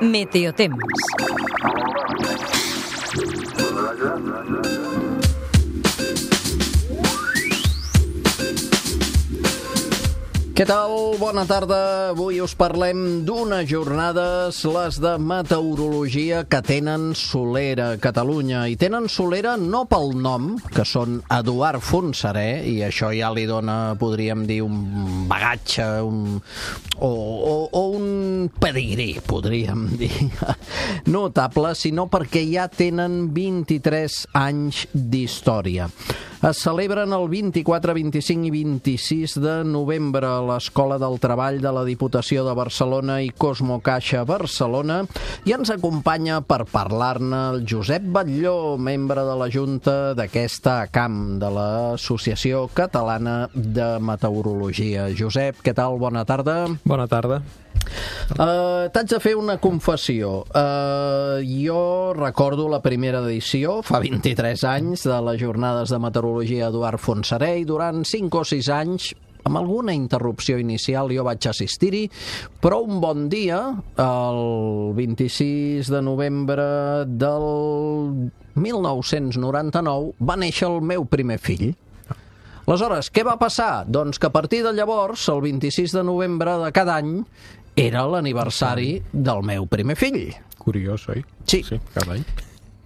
Meteotemps. Què tal? Bona tarda. Avui us parlem d'unes jornades, les de meteorologia, que tenen solera a Catalunya. I tenen solera no pel nom, que són Eduard Fontserè, i això ja li dona, podríem dir, un bagatge, o un pedigrí, podríem dir, notable, sinó perquè ja tenen 23 anys d'història. Es celebren el 24, 25 i 26 de novembre a l'Escola del Treball de la Diputació de Barcelona i Cosmo Caixa Barcelona, i ens acompanya per parlar-ne el Josep Batlló, membre de la Junta d'aquesta ACAM, de l'Associació Catalana de Meteorologia. Josep, què tal? Bona tarda. Bona tarda. T'haig de fer una confessió. Jo recordo la primera edició, fa 23 anys, de les jornades de meteorologia Eduard Fontserè, i durant 5 o 6 anys, amb alguna interrupció inicial, jo vaig assistir-hi, però un bon dia, el 26 de novembre del 1999, va néixer el meu primer fill. Aleshores, què va passar? Doncs que a partir de llavors, el 26 de novembre de cada any, era l'aniversari del meu primer fill. Curiós, oi? Sí. Cada any.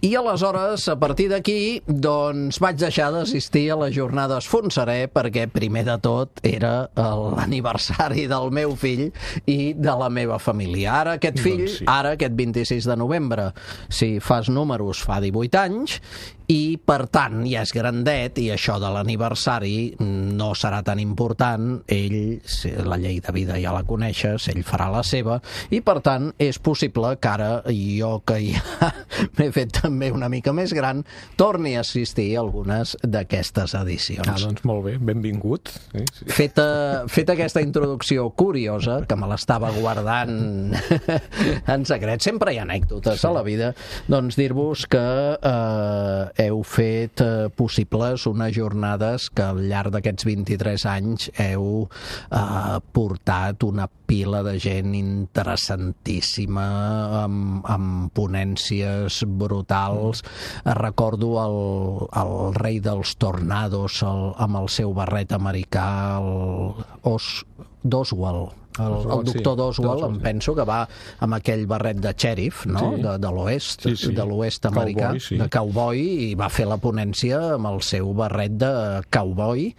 I aleshores, a partir d'aquí, doncs vaig deixar d'assistir a les jornades Fontserè, perquè primer de tot era l'aniversari del meu fill i de la meva família. Ara aquest fill, ara aquest 26 de novembre, si fas números, fa 18 anys, i per tant ja és grandet, i això de l'aniversari no serà tan important. Ell, la llei de vida ja la coneixes, ell farà la seva, i per tant és possible que ara jo, que ja m'he fet també una mica més gran, torni a assistir a algunes d'aquestes edicions. Doncs molt bé, benvingut. Feta aquesta introducció curiosa, que me l'estava guardant en secret, sempre hi ha anècdotes a la vida, doncs dir-vos que heu fet possibles unes jornades que al llarg d'aquests 23 anys heu portat una pila de gent interessantíssima, amb ponències brutals. Recordo el rei dels tornados amb el seu barret americà, d'Oswald. El doctor d'Oswald, em penso que va amb aquell barret de xèrif, no? De l'oest, de l'oest americà, de cowboy, i va fer la ponència amb el seu barret de cowboy,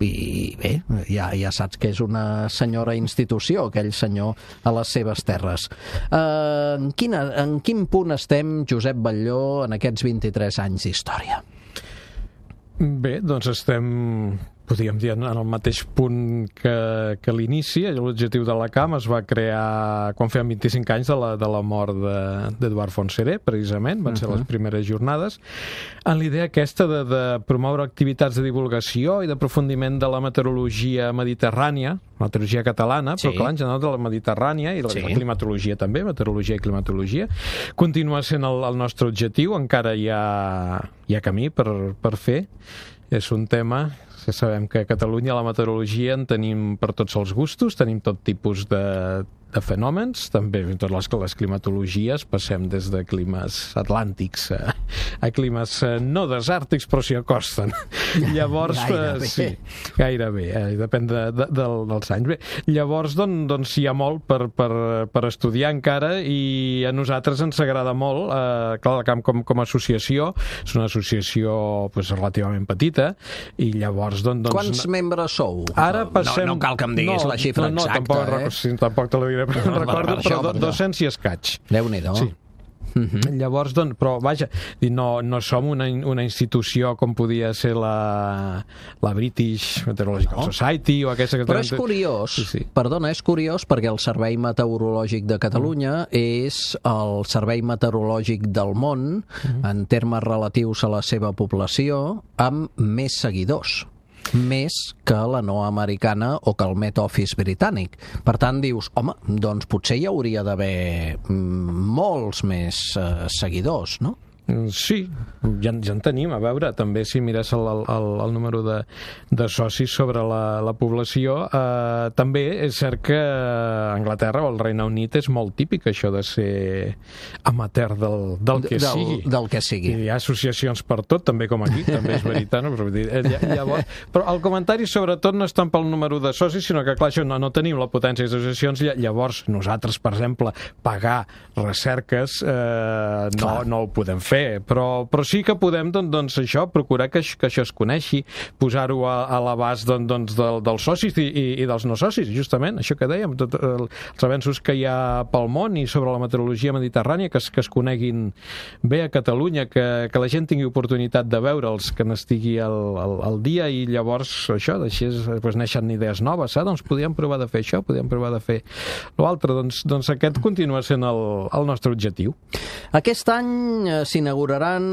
i bé, ja saps que és una senyora institució, aquell senyor, a les seves terres. En quin punt estem, Josep Batlló, en aquests 23 anys d'història? Bé, doncs estem, podríem dir, en el mateix punt que l'inici. L'objectiu de la CAM es va crear quan feien 25 anys de la mort d'Eduard Fontserè, precisament, van ser les primeres jornades, en l'idea aquesta de promoure activitats de divulgació i d'aprofundiment de la meteorologia mediterrània, meteorologia catalana, però clar, en general de la mediterrània, i la climatologia també, meteorologia i climatologia. Continua sent el nostre objectiu, encara hi ha camí per fer. És un tema que sabem que a Catalunya la meteorologia en tenim per tots els gustos, tenim tot tipus de fenòmens, també totes les climatologies, passem des de climes atlàntics a climes no desàrtics, però s'hi acosten. Llavors, gairebé, depèn dels anys. Bé, llavors, doncs hi ha molt per estudiar encara, i a nosaltres ens agrada molt. Clar, la CAM com a associació és una associació relativament petita, i llavors... Quants membres sou? Ara passem... No cal que em diguis la xifra exacta, tampoc te la diré, però recordo, però 200 i escaig. Déu-n'hi-do. Sí. Llavors, però vaja, no som una institució com podia ser la British Meteorological Society o aquesta que... Però és curiós, perdona, és curiós perquè el Servei Meteorològic de Catalunya és el servei meteorològic del món, en termes relatius a la seva població, amb més seguidors. més que la no americana o que el Met Office britànic. Per tant, dius, home, doncs potser hi hauria d'haver molts més seguidors, no? Sí, ja en tenim. A veure, també si mires el número de socis sobre la població, també és cert que a Anglaterra o al Regne Unit és molt típic això de ser amateur del que sigui. Del que sigui. I hi ha associacions per tot, també com aquí, també és veritat. No? Però el comentari sobretot no és tant pel número de socis, sinó que, clar, això no tenim la potència d'associacions, llavors nosaltres, per exemple, pagar recerques no ho podem fer, però sí que podem doncs això, procurar que això es coneixi, posar-ho a l'abast dels socis i dels no socis, justament, això que dèiem, tots els avenços que hi ha pel món i sobre la meteorologia mediterrània, que es coneguin bé a Catalunya, que la gent tingui oportunitat de veure'ls, que n'estigui al dia, i llavors això, així neixen idees noves, doncs podríem provar de fer això, podríem provar de fer l'altre, doncs aquest continua sent el nostre objectiu. Aquest any s'inauguraran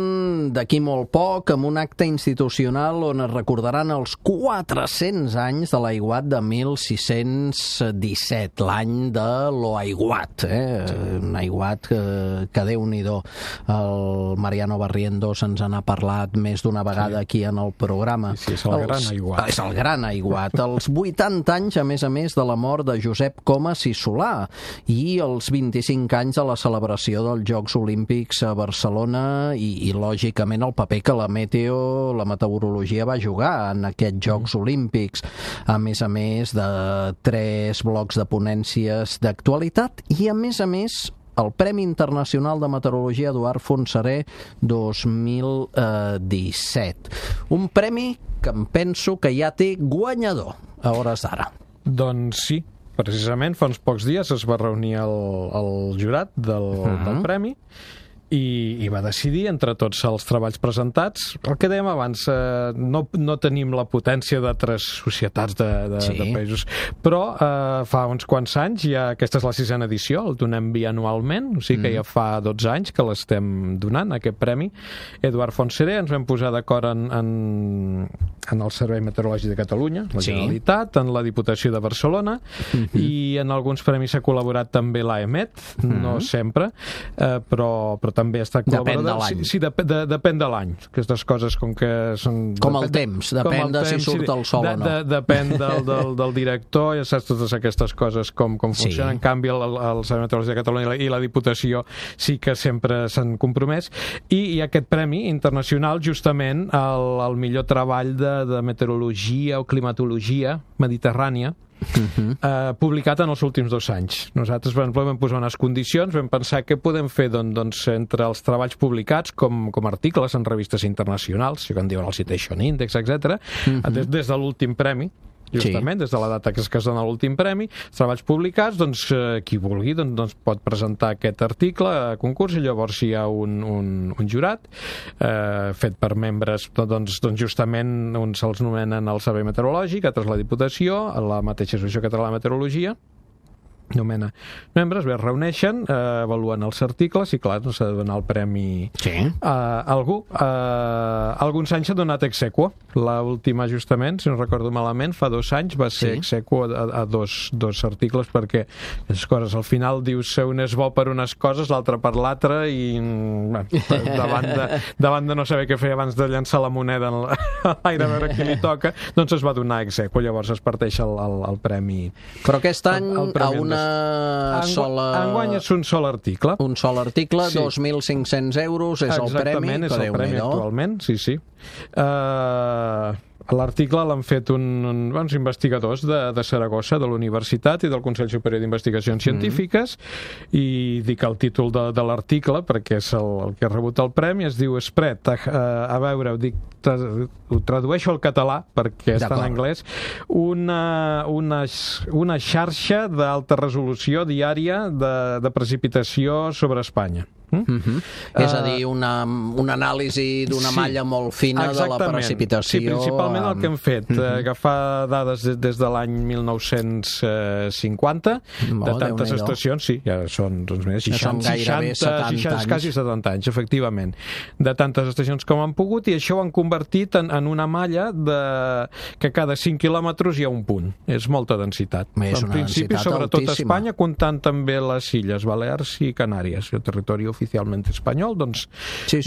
d'aquí molt poc amb un acte institucional on es recordaran els 400 anys de l'aiguat de 1617, l'any de l'Aiguat, un aiguat que Déu-n'hi-do. El Mariano Barrientos ens n'ha parlat més d'una vegada aquí en el programa. Sí, és el gran aiguat. És el gran aiguat. Els 80 anys, a més de la mort de Josep Comas i Solà, i els 25 anys de la celebració dels Jocs Olímpics a Barcelona i lògicament el paper que la meteorologia va jugar en aquests Jocs Olímpics, a més de 3 blocs de ponències d'actualitat i a més el Premi Internacional de Meteorologia Eduard Fontserè 2017. Un premi que em penso que ja té guanyador a hores d'ara. Doncs sí, precisament fa uns pocs dies es va reunir el jurat del premi i va decidir entre tots els treballs presentats. El que dèiem abans, no tenim la potència d'altres societats de països, però fa uns quants anys, aquesta és la 6a edició, el donem bianualment, o sigui que ja fa 12 anys que l'estem donant, aquest premi. Eduard Fontserè, ens vam posar d'acord en el Servei Meteorològic de Catalunya, la Generalitat, en la Diputació de Barcelona, i en alguns premis s'ha col·laborat també l'AEMET, no sempre, però també està col·laborat. Depèn de l'any. Sí, depèn de l'any. Aquestes coses com que són... Com el temps, depèn de si surt el sol o no. Depèn del director, ja saps totes aquestes coses com funcionen. En canvi, el Servei Meteorològic de Catalunya i la Diputació sí que sempre s'han compromès. I aquest premi internacional, justament, el millor treball de meteorologia o climatologia mediterrània, publicat en els últims 2 anys. Nosaltres vam posar unes condicions, vam pensar què podem fer entre els treballs publicats com articles en revistes internacionals, que en diuen el Citation Index, etc., des de l'últim premi, justament, des de la data que es dona l'últim premi, treballs publicats, doncs qui vulgui pot presentar aquest article a concurs, i llavors hi ha un jurat fet per membres, justament uns se'ls nomenen el Servei Meteorològic, altres la Diputació, la mateixa Associació Catalana de Meteorologia, nomena membres, es reuneixen, avaluen els articles i, clar, s'ha de donar el premi a algú. Alguns anys s'ha donat ex aequo. L'última, justament, si no recordo malament, fa 2 anys va ser ex aequo a dos articles, perquè les coses al final dius un és bo per unes coses, l'altre per l'altre, i davant de no saber què fer abans de llançar la moneda a l'aire a veure qui li toca, doncs es va donar ex aequo, llavors es parteix el premi. Però aquest any a una sola... Enguany és un sol article. Un sol article, 2.500 euros és el premi. Exactament, és el premi actualment, sí. L'article l'han fet uns investigadors de Saragossa, de la Universitat i del Consell Superior d'Investigacions Científiques, i dic el títol de l'article perquè és el que ha rebut el premi, es diu Spread, a veure, ho tradueixo al català perquè està en anglès, una xarxa d'alta resolució diària de precipitació sobre Espanya. És a dir, una anàlisi d'una malla molt fina de la precipitació. Sí, principalment el que hem fet, agafar dades des de l'any 1950, de tantes estacions, sí, ja són 60, quasi 70 anys, efectivament, de tantes estacions com han pogut, i això ho han convertit en una malla que cada 5 quilòmetres hi ha un punt. És molta densitat. En principi, sobretot a Espanya, comptant també les Illes Balears i Canàries, el territori oficialment espanyol, doncs Sí.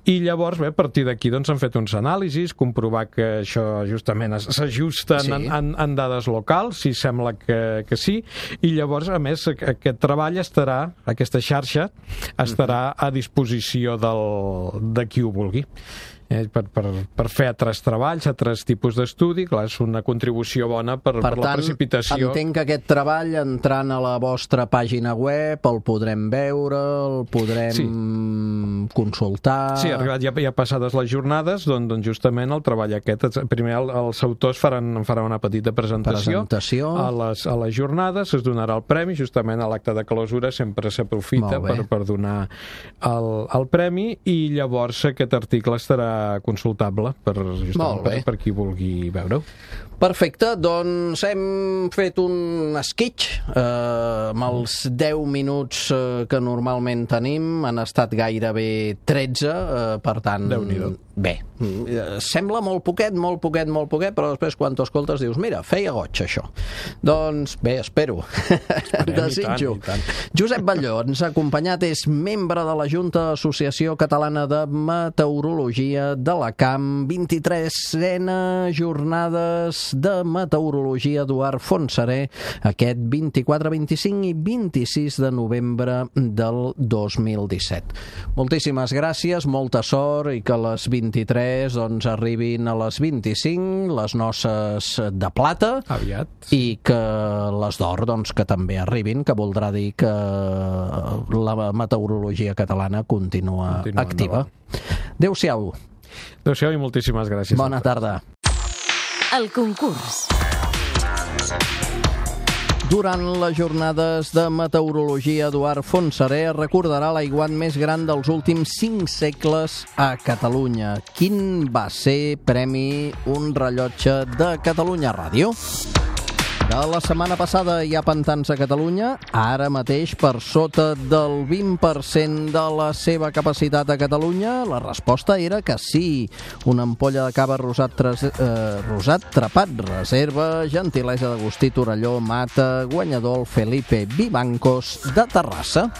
I llavors, bé, a partir d'aquí doncs, han fet uns anàlisis, comprovar que això justament s'ajusten en dades locals, si sembla que sí, i llavors, a més, aquest treball aquesta xarxa estarà a disposició de qui ho vulgui. Per fer altres treballs, altres tipus d'estudi, clar, és una contribució bona per la precipitació. Per tant, entenc que aquest treball, entrant a la vostra pàgina web, el podrem veure, el podrem consultar... Sí, arribat ja passades les jornades, doncs justament el treball aquest, primer els autors faran una petita presentació. A les jornades, es donarà el premi, justament a l'acte de clausura sempre s'aprofita per donar el premi, i llavors aquest article estarà consultable per qui vulgui veure-ho. Perfecte, doncs hem fet un esquitx amb els 10 minuts que normalment tenim, han estat gairebé 13, per tant, bé, sembla molt poquet, però després quan t'ho escoltes dius, mira, feia goig això. Doncs bé, espero, desitjo. Josep Batlló ens ha acompanyat, és membre de la Junta Associació Catalana de Meteorologia d'Alacant, 23a jornades de meteorologia Eduard Fontserè, aquest 24, 25 i 26 de novembre del 2017. Moltíssimes gràcies, molta sort, i que les 23 doncs arribin a les 25, les noces de plata, aviat, i que les d'or doncs que també arribin, que voldrà dir que la meteorologia catalana continua activa. Adéu-siau. Adéu-siau i moltíssimes gràcies. Bona tarda. El concurs. Durant les jornades de meteorologia, Eduard Fontserè recordarà l'aiguat més gran dels últims 5 segles a Catalunya. Quin va ser premi Un rellotge de Catalunya Ràdio? De la setmana passada hi ha pantans a Catalunya, ara mateix per sota del 20% de la seva capacitat a Catalunya. La resposta era que sí. Una ampolla de cava rosat Trepat reserva, gentilesa d'Agustí Torelló, Mata, guanyador Felipe Vivancos de Terrassa.